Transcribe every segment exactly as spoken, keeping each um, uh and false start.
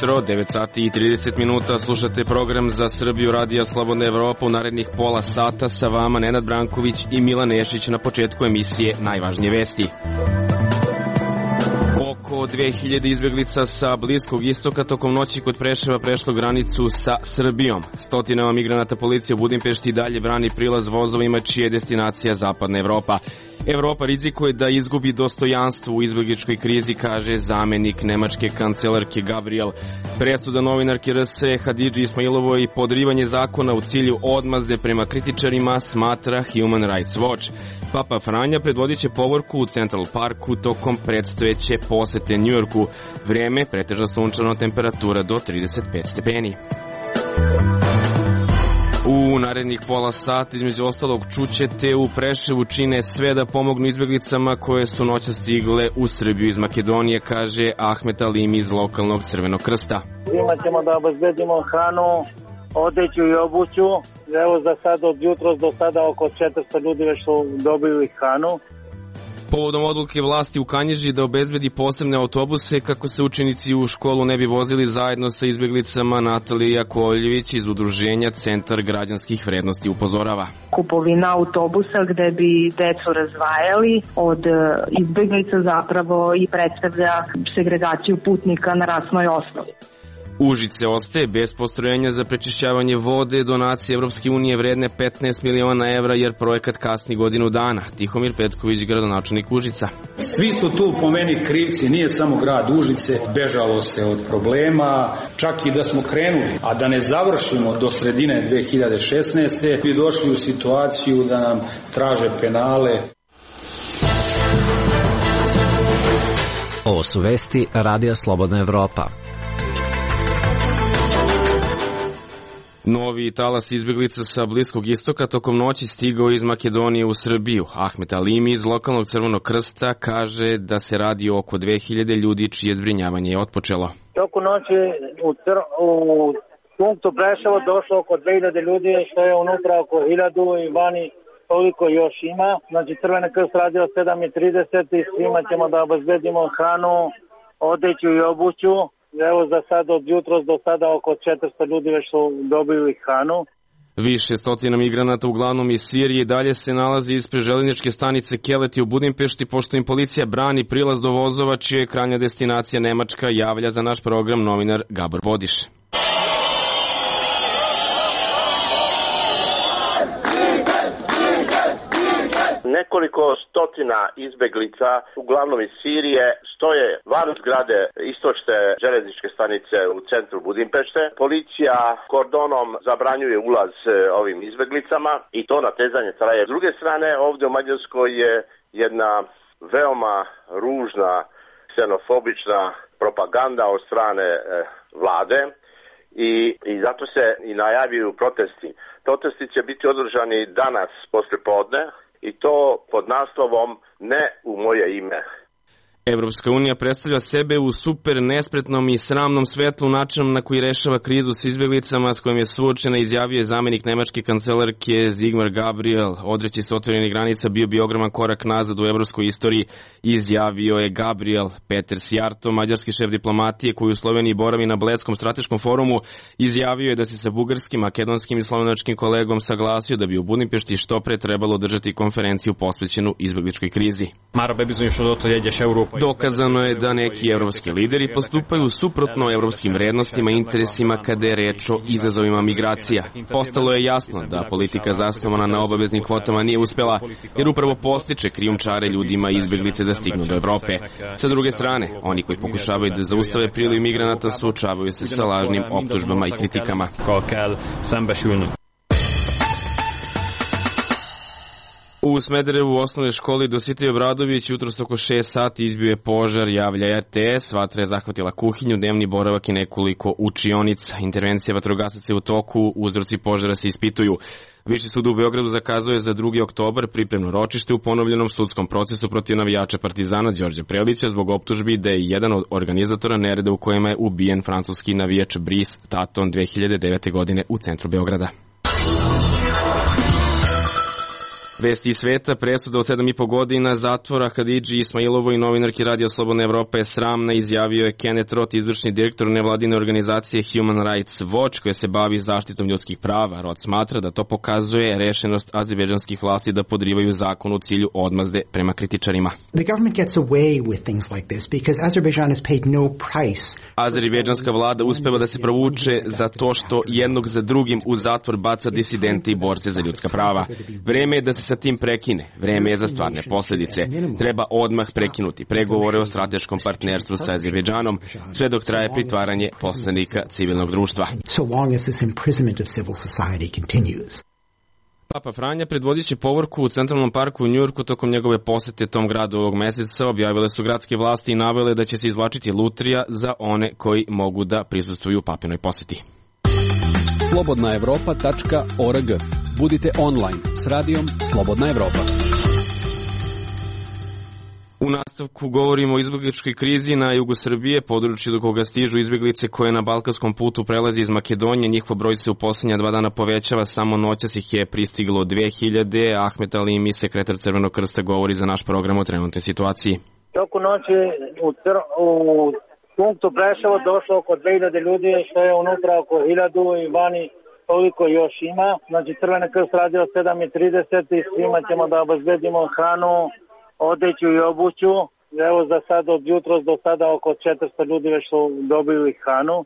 jutro, devet sati i trideset minuta, slušate program Za Srbiju Radija Slobodna Evropa. U narednih pola sata sa vama Nenad Branković i Milan Nešić. Na početku emisije najvažnije vesti. Oko dve hiljade izbeglica sa Bliskog istoka tokom noći kod Preševa prešlo granicu sa Srbijom. Stotinama migranata policija u Budimpešti dalje brani prilaz vozovima čija je destinacija Zapadna Evropa. Evropa rizikuje da izgubi dostojanstvo u izbegličkoj krizi, kaže zamenik nemačke kancelarke Gabriel. Presuda novinarke R S Hadidži Ismailovoj i podrivanje zakona u cilju odmazde prema kritičarima smatra Human Rights Watch. Papa Franja predvodit će povorku u Central Parku tokom predstojeće posete Njujorku. Vrijeme pretežno sunčano, temperatura do trideset pet stepeni. U narednih pola sata, između ostalog, čućete u Preševu čine sve da pomognu izbeglicama koje su noća stigle u Srbiju iz Makedonije, kaže Ahmet Alimi iz lokalnog Crvenog krsta. Svima ćemo da obezbedimo hranu, odeću i obuću. Evo za sad od jutros do sada oko četiristo ljudi već su dobili hranu. Povodom odluke vlasti u Kanjiži da obezbedi posebne autobuse kako se učenici u školu ne bi vozili zajedno sa izbeglicama, Natalija Koljević iz udruženja Centar građanskih vrednosti upozorava. Kupovina autobusa gde bi decu razdvajali od izbeglica zapravo i predstavlja segregaciju putnika na rasnoj osnovi. Užice ostaje bez postrojenja za prečišćavanje vode, donacije Evropske unije vredne petnaest miliona evra jer projekat kasni godinu dana. Tihomir Petković, gradonačelnik Užica. Svi su tu po meni krivci, nije samo grad Užice, bežalo se od problema, čak i da smo krenuli, a da ne završimo do sredine dve hiljade šesnaeste. bi došli u situaciju da nam traže penale. Ovo su vesti Radija Slobodna Evropa. Novi talas izbeglica sa Bliskog istoka tokom noći stigao iz Makedonije u Srbiju. Ahmet Alimi iz lokalnog Crvenog krsta kaže da se radi o oko dve hiljade ljudi čije zbrinjavanje je otpočelo. Toku noći u, cr- u punktu Preševo došlo oko dve hiljade ljudi, što je unutra oko hiljadu i vani toliko još ima. Znači Crveni krst radio sedam i trideset i svima ćemo da obezbedimo hranu, odeću i obuću. Evo za sad od jutros do sada oko četiristo ljudi već su dobili hranu. Više stotina migranata, uglavnom iz Sirije, dalje se nalazi ispred željezničke stanice Keleti u Budimpešti, pošto im policija brani prilaz do vozova čija je krajnja destinacija Nemačka, javlja za naš program novinar Gabor Bodiš. Nekoliko stotina izbeglica, uglavnom iz Sirije, stoje van zgrade istočne železničke stanice u centru Budimpešte. Policija kordonom zabranjuje ulaz ovim izbeglicama i to natezanje traje. S druge strane, ovdje u Mađarskoj je jedna veoma ružna, ksenofobična propaganda od strane vlade i, i zato se i najavljuju protesti. Protesti će biti održani danas poslijepodne, i to pod naslovom Ne u moje ime. Evropska unija predstavlja sebe u super nespretnom i sramnom svetlu načinom na koji rešava krizu s izbeglicama s kojim je suočena, izjavio je zamenik nemačke kancelarke Sigmar Gabriel. Odreći se otvorenih granica bio bi ogroman korak nazad u evropskoj istoriji, izjavio je Gabriel. Peter Sjarto, mađarski šef diplomatije koji u Sloveniji boravi na Bledskom strateškom forumu, izjavio je da se sa bugarskim, makedonskim i slovenačkim kolegom saglasio da bi u Budimpešti što pre trebalo održati konferenciju posvećenu izbegličkoj krizi. Dokazano je da neki evropski lideri postupaju suprotno evropskim vrednostima i interesima kada je reč o izazovima migracija. Postalo je jasno da politika zasnovana na obaveznim kvotama nije uspela, jer upravo postiče krijumčare ljudima i izbeglice da stignu do Evrope. Sa druge strane, oni koji pokušavaju da zaustave priliv migranata suočavaju se sa lažnim optužbama i kritikama. U Smederevu u osnovnoj školi Dositej Obradović jutros oko šest sati izbio je požar, javlja R T S. Vatra je zahvatila kuhinju, dnevni boravak i nekoliko učionica. Intervencija vatrogasaca je u toku, uzroci požara se ispituju. Viši sud u Beogradu zakazuje za drugi oktobar pripremno ročište u ponovljenom sudskom procesu protiv navijača Partizana Đorđa Prelića zbog optužbi da je jedan od organizatora nereda u kojima je ubijen francuski navijač Brice Taton dve hiljade devete. godine u centru Beograda. Vesti iz sveta, presuda od sedam i po godina zatvora Hadidži Ismailovoj, novinarki Radija Slobodna Evropa, je sramna, izjavio je Kenneth Roth, izvršni direktor nevladine organizacije Human Rights Watch, koja se bavi zaštitom ljudskih prava. Roth smatra da to pokazuje rešenost azerbejdžanskih vlasti da podrivaju zakon u cilju odmazde prema kritičarima. The government gets away with things like this because Azerbaijan has paid no price. Azerbejdžanska vlada uspeva da se provuče za to što jednog za drugim u zatvor baca disidente i borce za ljudska prava. Vreme je da se sa tim prekine. Vreme je za stvarne posledice. Treba odmah prekinuti pregovore o strateškom partnerstvu sa Azerbejdžanom, sve dok traje pritvaranje poslanika civilnog društva. So long as this imprisonment of civil society continues. Papa Franja predvodit će povorku u Centralnom parku u Njujorku tokom njegove posete tom gradu ovog meseca. Objavile su gradske vlasti i navele da će se izvlačiti lutrija za one koji mogu da prisustvuju papinoj poseti. slobodna evropa tačka org. Budite online s radijom Slobodna Evropa. U nastavku govorimo o izbegličkoj krizi na jugu Srbije, području do koga stižu izbeglice koje na balkanskom putu prelazi iz Makedonije. Njihov broj se u poslednja dva dana povećava, samo noćas ih je pristiglo dve hiljade. Ahmet Alimi, sekretar Crvenog krsta, govori za naš program o trenutnoj situaciji. Toku noći u, cr- u punktu Preševo došlo oko dve hiljade ljudi, što je unutra oko hiljadu i vani toliko još ima. Znači Crveni krst radi od sedam i trideset i svima ćemo da obezbedimo hranu, odeću i obuću. Evo za sad od jutros do sada oko četiristo ljudi već su dobili hranu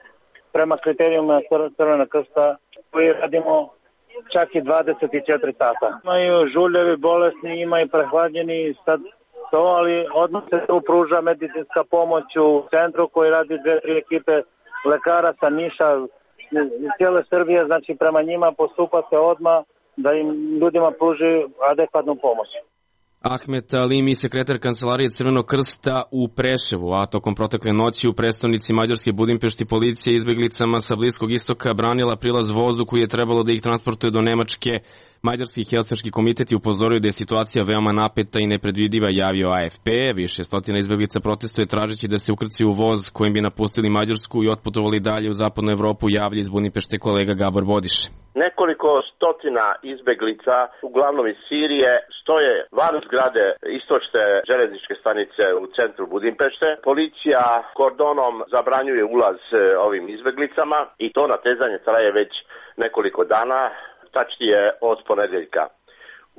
prema kriterijuma Crvenog krsta koji radimo čak i dvadeset četiri sata. Imaju žuljevi, bolesni, ima i prehladnjeni sad to, ali odmah se tu pruža medicinska pomoć u centru koji radi dve, tri ekipe lekara sa Niša iz cijele Srbije, znači prema njima postupa se odmah da im ljudima pruži adekvatnu pomoć. Ahmet Alimi, sekretar Kancelarije Crvenog krsta u Preševu, a tokom protekle noći u prestonici Mađarske Budimpešti policija izbeglicama sa Bliskog istoka branila prilaz vozu koji je trebalo da ih transportuje do Nemačke. Mađarski Helsinški komitet je upozorio da je situacija veoma napeta i nepredvidiva, javio A F P. Više stotina izbeglica protestuje tražeći da se ukrcaju u voz kojim bi napustili Mađarsku i otputovali dalje u zapadnu Evropu, javlja iz Budimpešte kolega Gabor Bodiš. Nekoliko stotina izbeglica, uglavnom iz Sirije, stoje van zgrade istočne železničke stanice u centru Budimpešte. Policija kordonom zabranjuje ulaz ovim izbeglicama i to natezanje traje već nekoliko dana, tačnije od ponedeljka.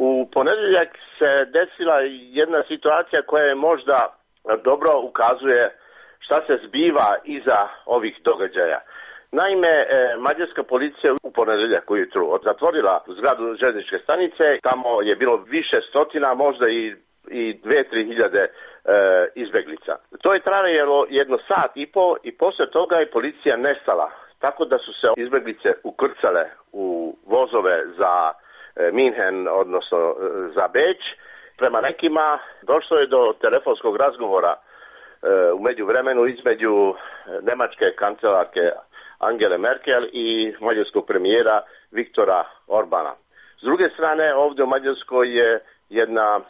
U ponedeljak se desila jedna situacija koja je možda dobro ukazuje šta se zbiva iza ovih događaja. Naime, mađarska policija u ponedeljak ujutru zatvorila zgradu železničke stanice, tamo je bilo više stotina, možda i, i dve, tri hiljade e, izbeglica. To je trajalo jedno sat i po i posle toga je policija nestala, tako da su se izbeglice ukrcale u vozove za e, Minhen, odnosno e, za Beč. Prema nekima došlo je do telefonskog razgovora e, u međuvremenu između nemačke kancelarke Angele Merkel i mađarskog premijera Viktora Orbana. S druge strane, ovdje u Mađarskoj je jedna e,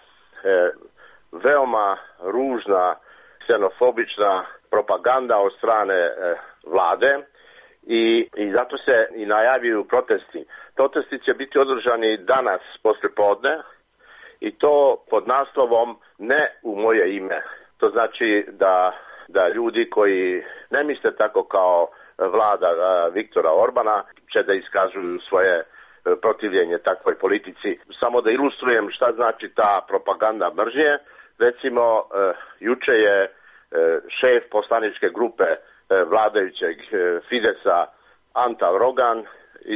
veoma ružna, ksenofobična propaganda od strane e, vlade i, i zato se i najavljuju protesti. Protesti će biti održani danas posle podne i to pod naslovom Ne u moje ime. To znači da, da ljudi koji ne misle tako kao vlada Viktora Orbana će da iskažuju svoje protivljenje takvoj politici. Samo da ilustrujem šta znači ta propaganda mržnje. Recimo, juče je šef poslaničke grupe vladajućeg Fidesa Antal Rogan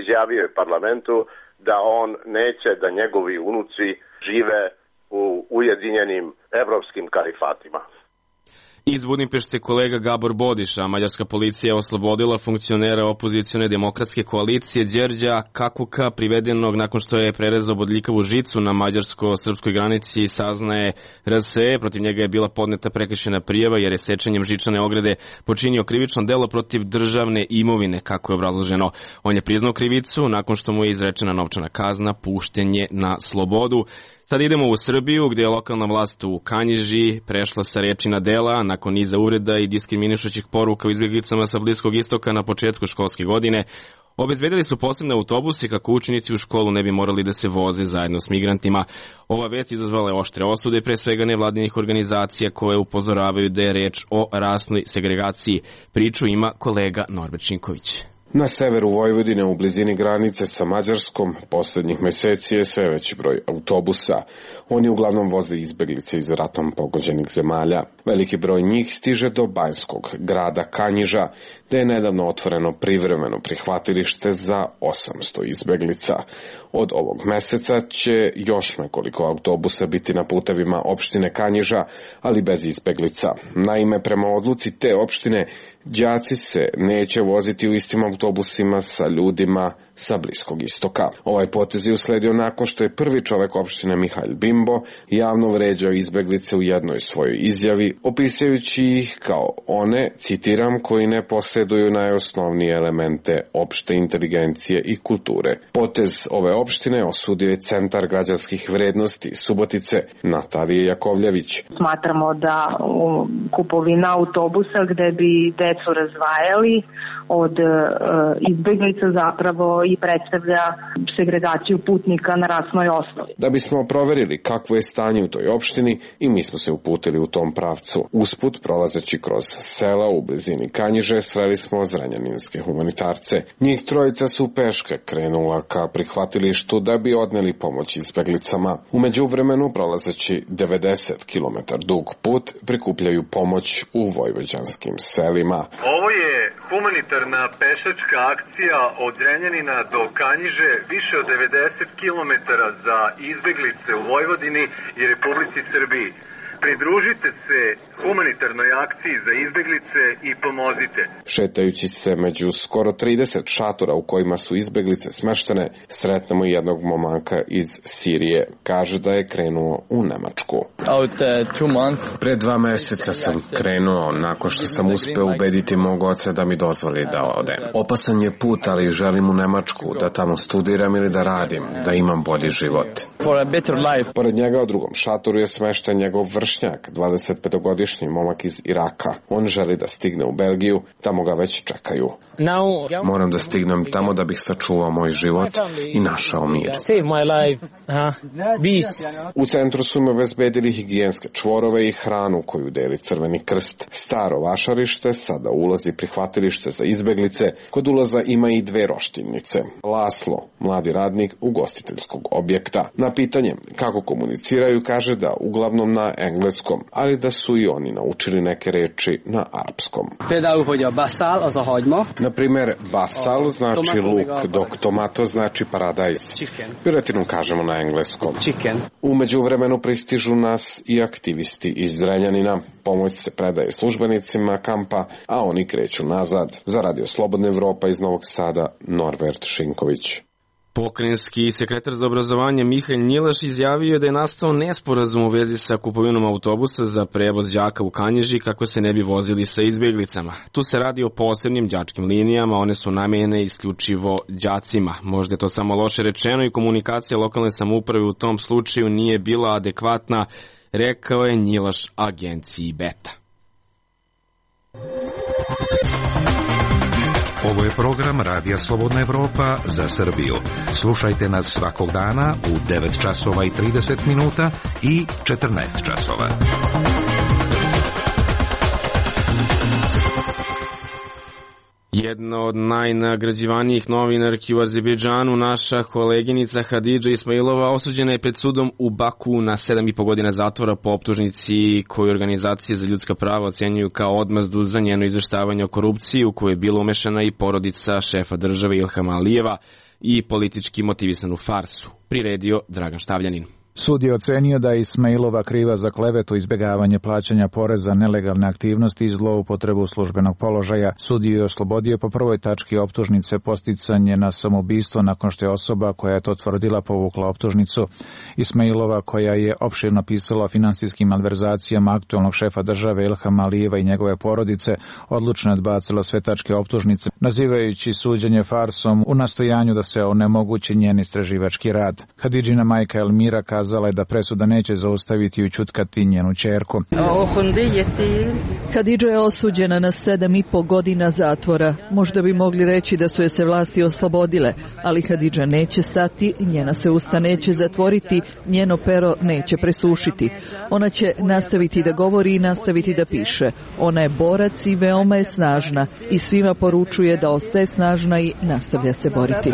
izjavio je parlamentu da on neće da njegovi unuci žive u ujedinjenim evropskim kalifatima. Iz Budimpešte kolega Gabor Bodiša. Mađarska policija je oslobodila funkcionera opozicione demokratske koalicije Đerđa Kakuka, privedenog nakon što je prerezao bodljikavu žicu na mađarsko-srpskoj granici, saznaje R S E. Protiv njega je bila podneta prekršajna prijava jer je sečenjem žičane ograde počinio krivično delo protiv državne imovine, kako je obrazloženo. On je priznao krivicu, nakon što mu je izrečena novčana kazna, pušten je na slobodu. Sad idemo u Srbiju, gdje je lokalna vlast u Kanjiži prešla sa reči na dela nakon niza uvreda i diskriminišućih poruka u izbjeglicama sa Bliskog istoka na početku školske godine. Obezbedili su posebne autobuse kako učenici u školu ne bi morali da se voze zajedno s migrantima. Ova vest izazvala je oštre osude, pre svega nevladinih organizacija koje upozoravaju da je reč o rasnoj segregaciji. Priču ima kolega Norbert Šinković. Na severu Vojvodine, u blizini granice sa Mađarskom, poslednjih meseci je sve veći broj autobusa. Oni uglavnom voze izbeglice iz ratom pogođenih zemalja. Veliki broj njih stiže do banjskog grada Kanjiža, gde je nedavno otvoreno privremeno prihvatilište za osamsto izbeglica. Od ovog meseca će još nekoliko autobusa biti na putevima opštine Kanjiža, ali bez izbeglica. Naime, prema odluci te opštine, đaci se neće voziti u istim autobusima sa ljudima sa Bliskog istoka. Ovaj potez je usledio nakon što je prvi čovek opštine Mihail Bimbo javno vređao izbeglice u jednoj svojoj izjavi, opisujući ih kao one, citiram, koji ne posjeduju najosnovnije elemente opšte inteligencije i kulture. Potez ove opštine osudio je Centar građanskih vrednosti Subotice Natalije Jakovljević. Smatramo da kupovina autobusa gde bi decu razvajali od izbeglica zapravo i predstavlja segregaciju putnika na rasnoj osnovi. Da bismo proverili kakvo je stanje u toj opštini, i mi smo se uputili u tom pravcu. Usput, prolazeći kroz sela u blizini Kanjiže, sreli smo zrenjaninske humanitarce. Njih trojica su peške krenula ka prihvatilištu da bi odneli pomoć izbeglicama. U međuvremenu, prolazeći devedeset kilometara dug put, prikupljaju pomoć u vojvođanskim selima. Ovo je humanitarna pešačka akcija od Zrenjanina do Kanjiže, više od devedeset kilometara za izbeglice u Vojvodini i Republici Srbiji. Pridružite se humanitarnoj akciji za izbeglice i pomozite. Šetajući se među skoro trideset šatora u kojima su izbeglice smeštene, sretnemo jednog momanka iz Sirije. Kaže da je krenuo u Nemačku. Pre dva meseca sam krenuo nakon što sam uspeo ubediti mog oca da mi dozvoli da odem. Opasan je put, ali želim u Nemačku, da tamo studiram ili da radim, da imam bolji život. Pored njega u drugom šatoru je smešten njegov vršnjak, dvadesetpetogodišnji momak iz Iraka. On želi da stigne u Belgiju, tamo ga već čekaju. Moram da stignem tamo da bih sačuvao moj život i našao mir. U centru su me obezbedili higijenske čvorove i hranu koju deli Crveni krst. Staro vašarište, sada ulazi prihvatilište za izbeglice, kod ulaza ima i dve roštilnice. Laslo, mladi radnik ugostiteljskog objekta. Na pitanje kako komuniciraju, kaže da uglavnom na engleskom, ali da su i oni naučili neke reči na arapskom. Na primer, basal znači luk, dok tomato znači paradajz. Piletinu kažemo na engleskom. U međuvremenu pristižu nas i aktivisti iz Zrenjanina. Pomoć se predaje službenicima kampa, a oni kreću nazad. Za Radio Slobodna Evropa iz Novog Sada, Norbert Šinković. Pokrajinski sekretar za obrazovanje Mihail Njilaš izjavio da je nastao nesporazum u vezi sa kupovinom autobusa za prevoz đaka u Kanjiži kako se ne bi vozili sa izbjeglicama. Tu se radi o posebnim đačkim linijama, one su namenjene isključivo đacima. Možda je to samo loše rečeno i komunikacija lokalne samouprave u tom slučaju nije bila adekvatna, rekao je Njilaš agenciji Beta. Ovo je program Radija Slobodna Evropa za Srbiju. Slušajte nas svakog dana u devet časova i trideset minuta i četrnaest časova. Jedna od najnagrađivanijih novinarki u Azerbejdžanu, naša koleginica Hadidža Ismailova, osuđena je pred sudom u Baku na sedam i po godina zatvora po optužnici koju organizacije za ljudska prava ocenjuju kao odmazdu za njeno izveštavanje o korupciji u koju je bila umešana i porodica šefa države Ilhama Alijeva i politički motivisanu farsu. Priredio Dragan Štavljanin. Sud je ocenio da je Ismailova kriva za klevetu, izbjegavanje plaćanja poreza, nelegalne aktivnosti i zloupotrebu službenog položaja. Sud je oslobodio po prvoj tački optužnice posticanje na samoubistvo nakon što je osoba koja je to tvrdila povukla optužnicu. Ismailova, koja je opširno pisala o finansijskim malverzacijama aktualnog šefa države Ilhama Alijeva i njegove porodice, odlučno je odbacila sve tačke optužnice, nazivajući suđenje farsom u nastojanju da se onemogući njen istraživački rad. Hadidžina majka Elmira kaže kazala je da presuda neće zaustaviti i ućutkati njenu ćerku. Hadidža je osuđena na sedam i po godina zatvora. Možda bi mogli reći da su je se vlasti oslobodile, ali Hadidža neće stati, njena se usta neće zatvoriti, njeno pero neće presušiti. Ona će nastaviti da govori i nastaviti da piše. Ona je borac i veoma je snažna i svima poručuje da ostaje snažna i nastavlja se boriti.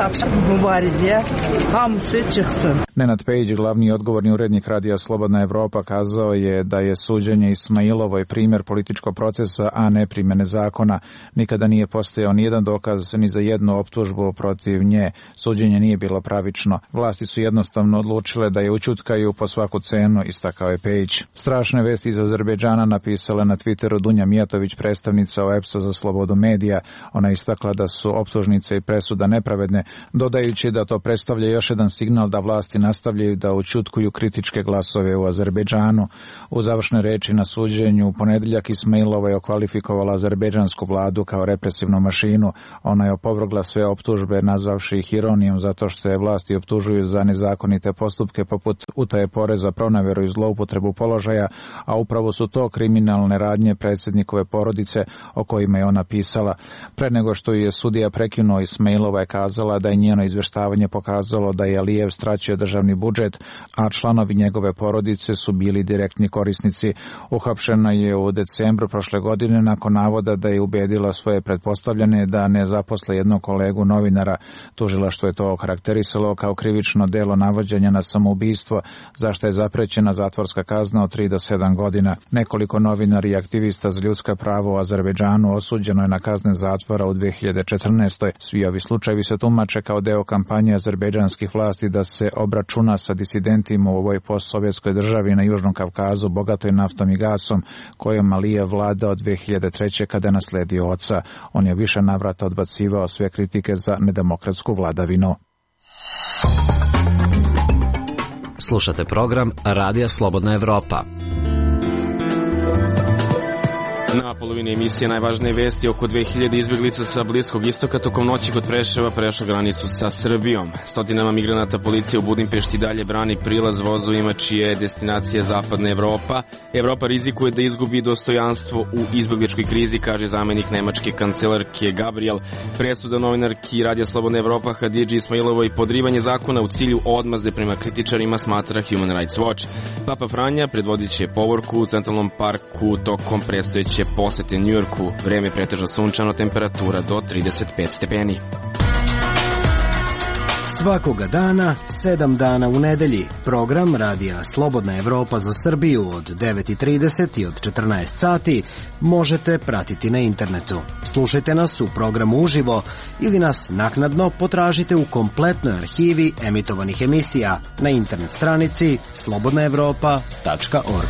Nenad Pejić, glavni odgovorni urednik Radija Slobodna Evropa, kazao je da je suđenje Ismailovoj primjer političkog procesa, a ne primjene zakona. Nikada nije postojao nijedan dokaz ni za jednu optužbu protiv nje. Suđenje nije bilo pravično. Vlasti su jednostavno odlučile da je ućutkaju po svaku cenu, istakao je Pejić. Strašne vesti iz Azerbejdžana napisala na Twitteru Dunja Mijatović, predstavnica O E P S-a za slobodu medija. Ona istakla da su optužnice i presuda nepravedne, dodajući da to predstavlja još jedan signal da vlasti nastavljaju da ućutkuju kritičke glasove u Azerbejdžanu. U završnoj reči na suđenju u ponedeljak Ismailova je okvalifikovala azerbejdžansku vladu kao represivnu mašinu. Ona je opovrgla sve optužbe, nazvavši ih ironijom zato što je vlasti optužuju za nezakonite postupke poput utaje poreza, pronaveru i zloupotrebu položaja, a upravo su to kriminalne radnje predsjednikove porodice o kojima je ona pisala. Pre nego što je sudija prekinuo, Ismailova je kazala da je njeno izveštavanje pokazalo da je Alijev stratio državni budžet, a članovi njegove porodice su bili direktni korisnici. Uhapšena je u decembru prošle godine nakon navoda da je ubedila svoje pretpostavljene da ne zaposle jednog kolegu novinara. Tužilaštvo je to okarakterisalo kao krivično delo navođenja na samoubistvo, zašto je zaprećena zatvorska kazna od tri do sedam godina. Nekoliko novinara i aktivista za ljudska prava u Azerbejdžanu osuđeno je na kazne zatvora u dve hiljade četrnaestoj. Svi ovi slučajevi se tumače kao deo kampanje azerbejdžanskih vlasti da se obračuna sa disidentima u ovoj postsovjetskoj državi na Južnom Kavkazu, bogatoj naftom i gasom, kojom Alijev vlada od dve hiljade treće kada je nasledio oca. On je više navrata odbacivao sve kritike za nedemokratsku vladavinu. Slušate program Radija Slobodna Evropa. Na polovini emisije najvažnije vesti: oko dve hiljade izbjeglica sa Bliskog istoka tokom noći kod Preševa prešlo granicu sa Srbijom. Stotinama migranata policija u Budimpešti dalje brani prilaz vozovima čija je destinacija Zapadna Evropa. Evropa rizikuje da izgubi dostojanstvo u izbjegličkoj krizi, kaže zamenik nemačke kancelarke Gabriel. Presuda novinarki Radija Slobodna Evropa Hadidži Ismailovoj podrivanje zakona u cilju odmazde prema kritičarima, smatra Human Rights Watch. Papa Franja predvodit će povorku u Centralnom parku tokom predstojeće posete Njujorku. Vreme pretežno sunčano, temperatura do trideset pet stepeni. Svakoga dana, sedam dana u nedelji. Program Radija Slobodna Evropa za Srbiju od devet i trideset i od četrnaest sati možete pratiti na internetu. Slušajte nas u programu uživo ili nas naknadno potražite u kompletnoj arhivi emitovanih emisija na internet stranici slobodna evropa tačka org.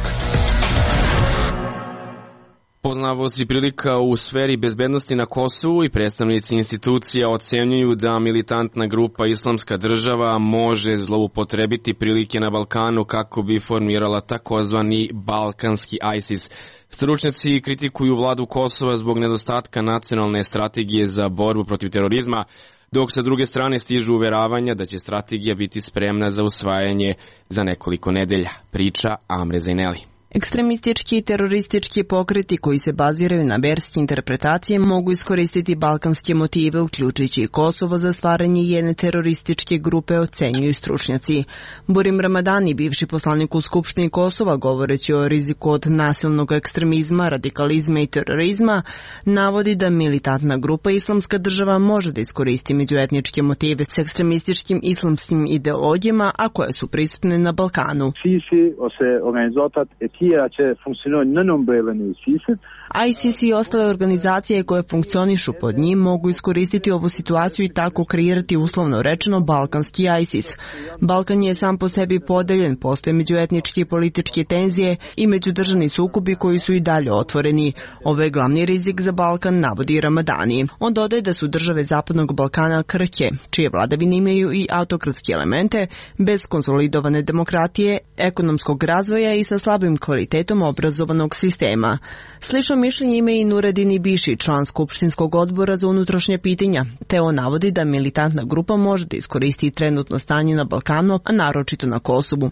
Poznavaoci prilika u sferi bezbednosti na Kosovu i predstavnici institucija ocenjuju da militantna grupa Islamska država može zloupotrebiti prilike na Balkanu kako bi formirala takozvani balkanski ISIS. Stručnjaci kritikuju vladu Kosova zbog nedostatka nacionalne strategije za borbu protiv terorizma, dok sa druge strane stižu uveravanja da će strategija biti spremna za usvajanje za nekoliko nedelja. Priča Amre Zaineli. Ekstremistički i teroristički pokreti koji se baziraju na verske interpretacije mogu iskoristiti balkanske motive, uključujući i Kosovo, za stvaranje jedne terorističke grupe, ocenjuju stručnjaci. Burim Ramadani, bivši poslanik u Skupštini Kosova, govoreći o riziku od nasilnog ekstremizma, radikalizma i terorizma, navodi da militantna grupa Islamska država može da iskoristi međuetničke motive s ekstremističkim islamskim ideologijama, a koje su prisutne na Balkanu. ISIS i ostale organizacije koje funkcionišu pod njim mogu iskoristiti ovu situaciju i tako kreirati, uslovno rečeno, balkanski ISIS. Balkan je sam po sebi podeljen, postoje međuetničke i političke tenzije i međudržavni sukobi koji su i dalje otvoreni. Ovo je glavni rizik za Balkan, navodi Ramadani. On dodaje da su države Zapadnog Balkana krhke, čije vladavine imaju i autokratske elemente, bez konsolidovane demokratije, ekonomskog razvoja i sa slabim kvalitetom obrazovanog sistema. Slično mišljenje ima i Nuredin Ibiši, član Skupštinskog odbora za unutrašnje pitanja, te on navodi da militantna grupa može da iskoristi trenutno stanje na Balkanu, a naročito na Kosovu.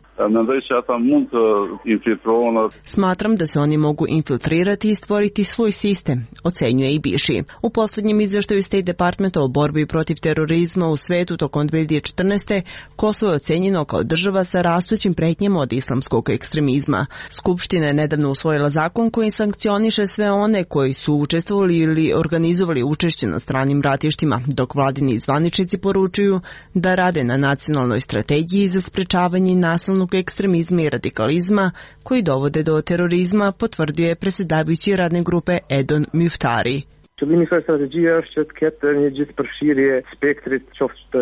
Smatram da se oni mogu infiltrirati i stvoriti svoj sistem, ocenjuje Ibiši. U poslednjem izveštaju State Departmenta o borbi protiv terorizma u svetu tokom dve hiljade četrnaeste. Kosovo je ocenjeno kao država sa rastućim pretnjama od islamskog ekstremizma. Skupština je nedavno usvojila zakon koji sankcioniše sve one koji su učestvovali ili organizovali učešće na stranim ratištima, dok vladini zvaničnici poručuju da rade na nacionalnoj strategiji za sprečavanje nasilnog ekstremizma i radikalizma koji dovode do terorizma, potvrdio je predsjedavajući radne grupe Edon Muftari. Qëllimi i kësaj strategjie është që të ketë një gjithëpërfshirje spektrit qoftë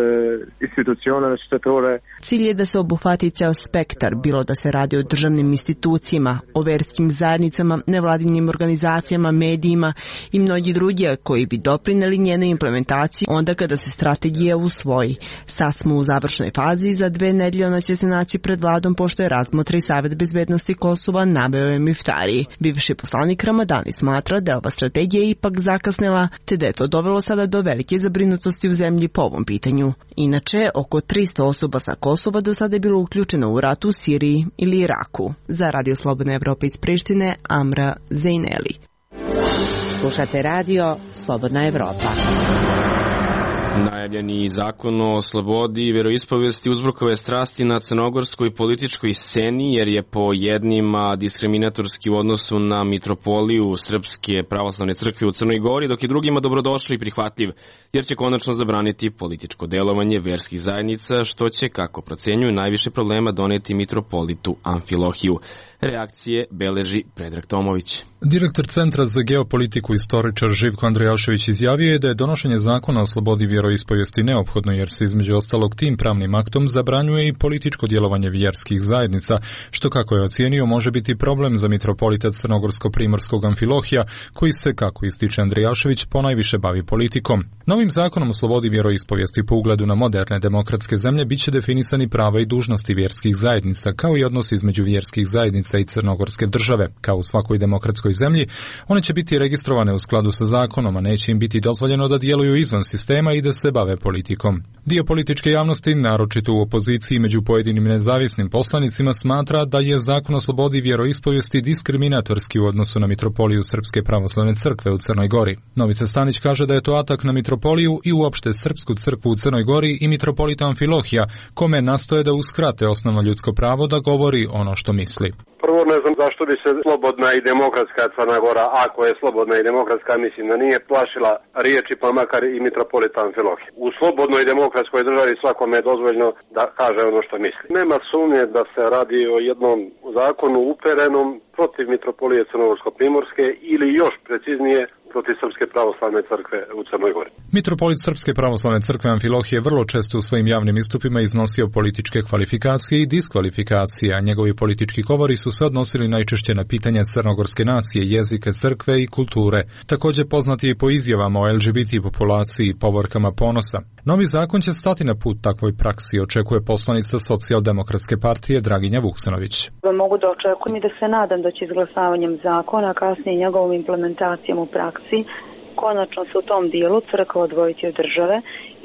institucioneve shtetërore. Cilj je da se obuhvati ceo spektar, bilo da se radi o državnim institucijama, o verskim zajednicama, nevladinim organizacijama, medijima i mnogi drugi koji bi doprineli njenoj implementaciji onda kada se strategija usvoji. Sad smo u završnoj fazi, za dve nedelje ona će se naći pred vladom pošto je razmotri Savet bezbednosti Kosova, naveo je Muftari. Bivši poslanik Ramadani smatra da ova strategija ipak zakasnila, te da je to dovelo sada do velike zabrinutosti u zemlji po ovom pitanju. Inače, oko tristo osoba sa Kosova do sada je bilo uključeno u rat u Siriji ili Iraku. Za Radio Slobodna Evropa iz Prištine, Amra Zejneli. Slušate radio Slobodna Evropa. Najavljeni zakon o slobodi i veroispovesti uzbrukao je strasti na crnogorskoj političkoj sceni jer je po jednima diskriminatorski u odnosu na mitropoliju Srpske pravoslavne crkve u Crnoj Gori, dok je drugima dobrodošao i prihvatljiv, jer će konačno zabraniti političko delovanje verskih zajednica, što će, kako procenjuju, najviše problema doneti mitropolitu Amfilohiju. Reakcije beleži Predrag Tomović. Direktor Centra za geopolitiku istoričar Živko Andrijašević izjavio je da je donošenje zakona o slobodi vjeroispovijesti neophodno jer se između ostalog tim pravnim aktom zabranjuje i političko djelovanje vjerskih zajednica, što kako je ocijenio može biti problem za mitropolita crnogorsko-primorskog Amfilohija, koji se, kako ističe Andrijašević, ponajviše bavi politikom. Novim zakonom o slobodi vjeroispovijesti po ugledu na moderne demokratske zemlje biće definisani prava i dužnosti vjerskih zajednica, kao i odnos između vjerskih zajednica i crnogorske države. Kao u svakoj demokratskoj zemlji, one će biti registrovane u skladu sa zakonom, a neće im biti dozvoljeno da djeluju izvan sistema i da se bave politikom. Dio političke javnosti, naročito u opoziciji među pojedinim nezavisnim poslanicima, smatra da je zakon o slobodi vjeroispovijesti diskriminatorski u odnosu na mitropoliju Srpske pravoslavne crkve u Crnoj Gori. Novica Stanić kaže da je to atak na mitropoliju i uopšte Srpsku crkvu u Crnoj Gori i mitropolita Amfilohija, kome nastoje da uskrate osnovno ljudsko pravo da govori ono što misli. Prvo ne znam zašto bi se slobodna i demokratska Crna Gora, ako je slobodna i demokratska, mislim da nije plašila riječi pa makar i mitropolita Amfilohija. U slobodnoj i demokratskoj državi svakome je dozvoljeno da kaže ono što misli. Nema sumnje da se radi o jednom zakonu uperenom protiv mitropolije Crnogorsko-primorske ili još preciznije protiv Srpske pravoslavne crkve u Crnoj Gori. Mitropolit Srpske pravoslavne crkve Amfilohije vrlo često u svojim javnim istupima iznosio političke kvalifikacije i diskvalifikacije, a njegovi politički govori su se odnosili najčešće na pitanja crnogorske nacije, jezika, crkve i kulture. Također poznat je i po izjavama o L G B T populaciji i povorkama ponosa. Novi zakon će stati na put takvoj praksi, očekuje poslanica Socijaldemokratske partije Draginja Vuksanović. Mogu da očekujem i da se nadam da će izglasavanjem zakona, a kasnije njegovom implementacijom u praksi, konačno se u tom dijelu crkva odvojiti od države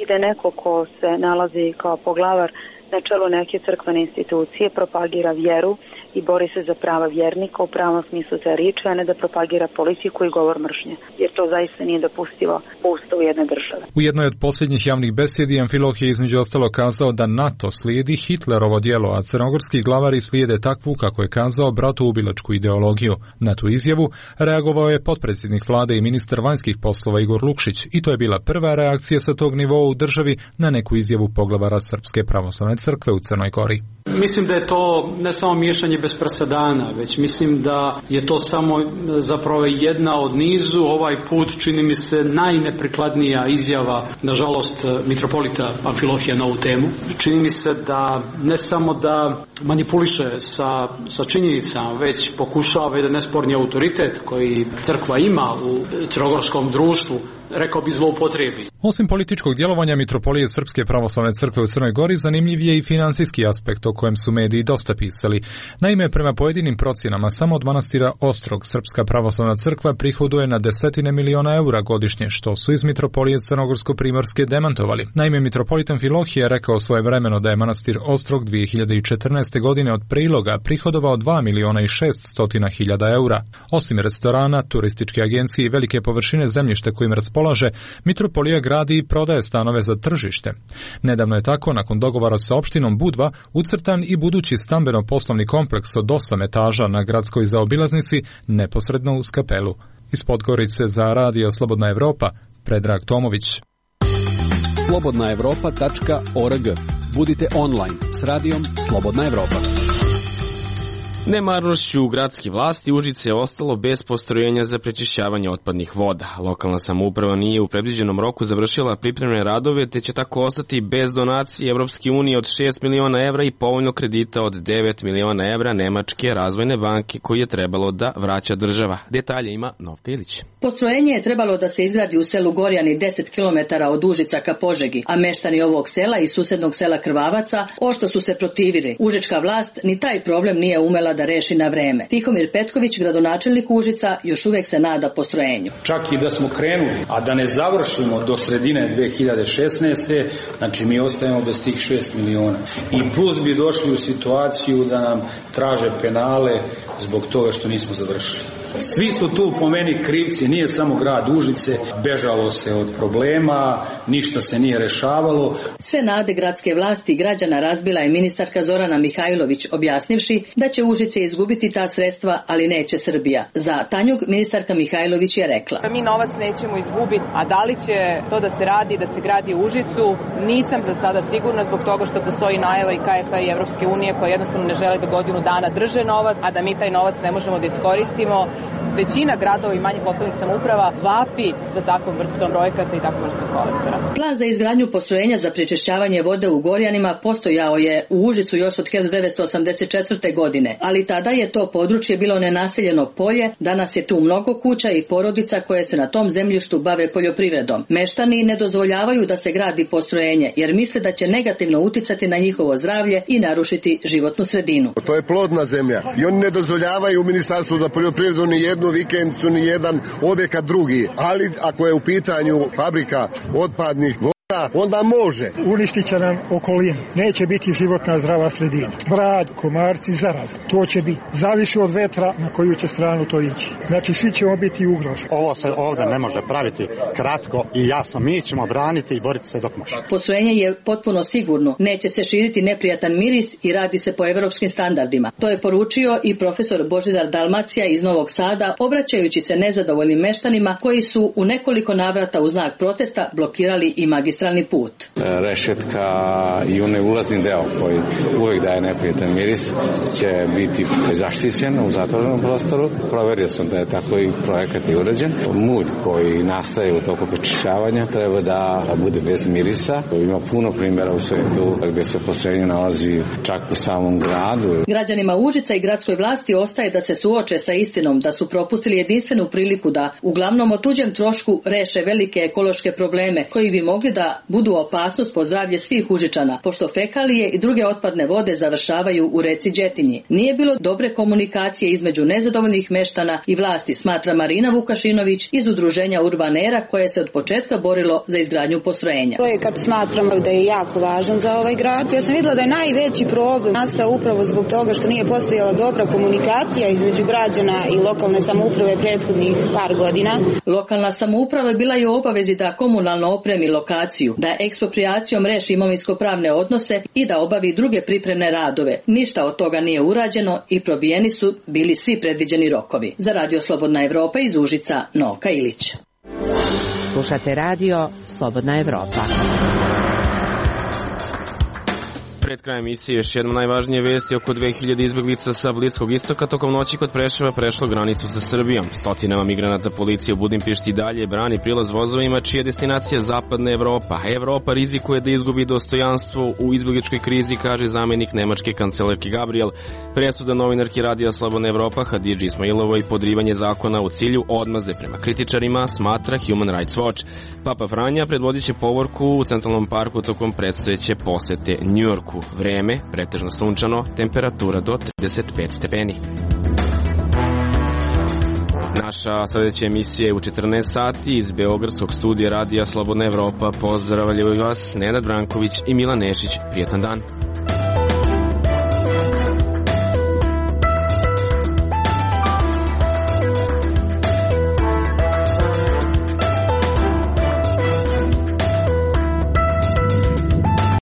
i da neko ko se nalazi kao poglavar na čelu neke crkvene institucije propagira vjeru i bori se za prava vjernika u pravom smislu te riječi, a ne da propagira politiku i govor mržnje, jer to zaista nije dopustivo po ustavu jedne države. U jednoj od posljednjih javnih besjedi Amfilohije je između ostalo kazao da NATO slijedi Hitlerovo djelo, a crnogorski glavari slijede takvu, kako je kazao, bratoubilačku ideologiju. Na tu izjavu reagovao je potpredsjednik vlade i ministar vanjskih poslova Igor Lukšić i to je bila prva reakcija sa tog nivoa u državi na neku izjavu poglavara Srpske pravoslavne crkve u Crnoj Gori. Mislim da je to ne samo miješanje bez presedana, već mislim da je to samo zapravo jedna od nizu, ovaj put čini mi se najneprikladnija izjava, nažalost, mitropolita Amfilohija na ovu temu. Čini mi se da ne samo da manipuliše sa, sa činjenicama, već pokušava jedan nesporni autoritet koji crkva ima u crnogorskom društvu, rekao bi zloupotrebi. Osim političkog djelovanja mitropolije Srpske pravoslavne crkve u Crnoj Gori, zanimljiv je i finansijski aspekt o kojem su mediji dosta pisali. Naime, Naime, prema pojedinim procjenama, samo od manastira Ostrog Srpska pravoslavna crkva prihoduje na desetine miliona eura godišnje, što su iz mitropolije Crnogorsko-primorske demantovali. Naime, mitropolitan Filohije rekao svojevremeno da je manastir Ostrog dvije hiljade četrnaeste. godine od priloga prihodovao dva miliona i šeststotina hiljada eura. Osim restorana, turističke agencije i velike površine zemljišta kojim raspolaže, mitropolija gradi i prodaje stanove za tržište. Nedavno je tako, nakon dogovora sa opštinom Budva, ucrtan i budući stambeno-poslovni kompleks od osam etaža na gradskoj zaobilaznici neposredno uz kapelu. Iz Podgorice za Radio Slobodna Evropa, Predrag Tomović. slobodna evropa tačka org. Budite online s radijom Slobodna Evropa. Nemarnošću gradske vlasti Užice je ostalo bez postrojenja za prečišćavanje otpadnih voda. Lokalna samouprava nije u predviđenom roku završila pripremne radove, te će tako ostati bez donacije Evropske unije od šest miliona evra i povoljnog kredita od devet miliona evra Nemačke razvojne banke koji je trebalo da vraća država. Detalje ima Novka Ilić. Postrojenje je trebalo da se izgradi u selu Gorjani deset kilometara od Užica ka Požegi, a meštani ovog sela i susednog sela Krvavaca ošto su se protivili. Užička vlast ni taj problem nije umela da reši na vreme. Tihomir Petković, gradonačelnik Užica, još uvek se nada postrojenju. Čak i da smo krenuli, a da ne završimo do sredine dve hiljade šesnaeste. znači mi ostajemo bez tih šest miliona. I plus bi došli u situaciju da nam traže penale zbog toga što nismo završili. Svi su tu po meni krivci, nije samo grad Užice, bežalo se od problema, ništa se nije rešavalo. Sve nade gradske vlasti i građana razbila je ministarka Zorana Mihajlović, objasnivši da će Užice izgubiti ta sredstva, ali neće Srbija. Za Tanjug ministarka Mihajlović je rekla: Mi novac nećemo izgubiti, a da li će to da se radi, da se gradi u Užicu, nisam za sada sigurna zbog toga što postoji najava i K F A i Evropske unije koja jednostavno ne žele da godinu dana drže novac, a da mi taj novac ne možemo da iskoristimo. Većina gradova i manjih lokalnih samouprava vapi za takvom vrstom projekata i takvom vrstom kolektora. Plan za izgradnju postrojenja za prečišćavanje vode u Gorjanima postojao je u Užicu još od hiljadu devetsto osamdeset četvrte. godine, ali tada je to područje bilo nenaseljeno polje, danas je tu mnogo kuća i porodica koje se na tom zemljištu bave poljoprivredom. Meštani ne dozvoljavaju da se gradi postrojenje jer misle da će negativno uticati na njihovo zdravlje i narušiti životnu sredinu. To je plodna zemlja i oni ne dozvoljavaju u Ministarstvu za poljoprivredu ni jednu vikendicu, ni jedan objekat drugi, ali ako je u pitanju fabrika otpadnih voda, onda može. Uništit će nam okolinu. Neće biti životna zdrava sredina. Smrad, komarci, zaraza. To će biti. Zavisi od vetra na koju će stranu to ići. Znači svi ćemo biti ugroženi. Ovo se ovdje ne može praviti kratko i jasno. Mi ćemo braniti i boriti se dok može. Postrojenje je potpuno sigurno. Neće se širiti neprijatan miris i radi se po evropskim standardima. To je poručio i profesor Božidar Dalmacija iz Novog Sada, obraćajući se nezadovoljnim meštanima koji su u nekoliko navrata u znak protesta blokirali i magistralni put. Rešetka i onaj ulazni deo koji uvek daje neprijatan miris će biti zaštićen u zatvorenom prostoru. Proverio sam da je tako i projekat i urađen. Mulj koji nastaje u toku prečišćavanja treba da bude bez mirisa. Ima puno primjera u svetu gde se postrojenje nalazi čak u samom gradu. Građanima Užica i gradskoj vlasti ostaje da se suoče sa istinom da su propustili jedinstvenu priliku da uglavnom o tuđem trošku reše velike ekološke probleme koji bi mogli da budu opasnost po zdravlje svih Užičana, pošto fekalije i druge otpadne vode završavaju u reci Đetinji. Nije bilo dobre komunikacije između nezadovoljnih meštana i vlasti, smatra Marina Vukašinović iz udruženja Urbanera koje se od početka borilo za izgradnju postrojenja. Projekat smatram da je jako važan za ovaj grad. Ja sam vidjela da je najveći problem nastao upravo zbog toga što nije postojala dobra komunikacija između građana i lokalne samouprave prethodnih par godina. Lokalna samouprava je bila i u obavezi da komunalno opremi lokaciju, da eksproprijacijom reši imovinsko-pravne odnose i da obavi druge pripremne radove. Ništa od toga nije urađeno i probijeni su bili svi predviđeni rokovi. Za Radio Slobodna Evropa iz Užica, Novka Ilić. Slušate Radio Slobodna Evropa. Pred krajem emisije još jedno najvažnije vesti: oko dve hiljade izbeglica sa Bliskog istoka tokom noći kod Preševa prešlo granicu sa Srbijom. Stotinama migranata policija u Budimpešti dalje brani prilaz vozovima čija je destinacija Zapadna Evropa. Evropa rizikuje da izgubi dostojanstvo u izbegličkoj krizi, kaže zamenik nemačke kancelarke Gabriel. Presuda novinarki Radija Slobodna Evropa Hadidži Ismailovoj podrivanje zakona u cilju odmazde prema kritičarima, smatra Human Rights Watch. Papa Franja predvodit će povorku u Centralnom parku tokom predstojeće posete Njujorku. Banjsku. Vreme, pretežno sunčano, temperatura do trideset pet stepeni. Naša sledeća emisija je u četrnaest sati iz Beogradskog studija Radija Slobodna Evropa. Pozdravljaju vas Nenad Branković i Milan Nešić. Prijetan dan.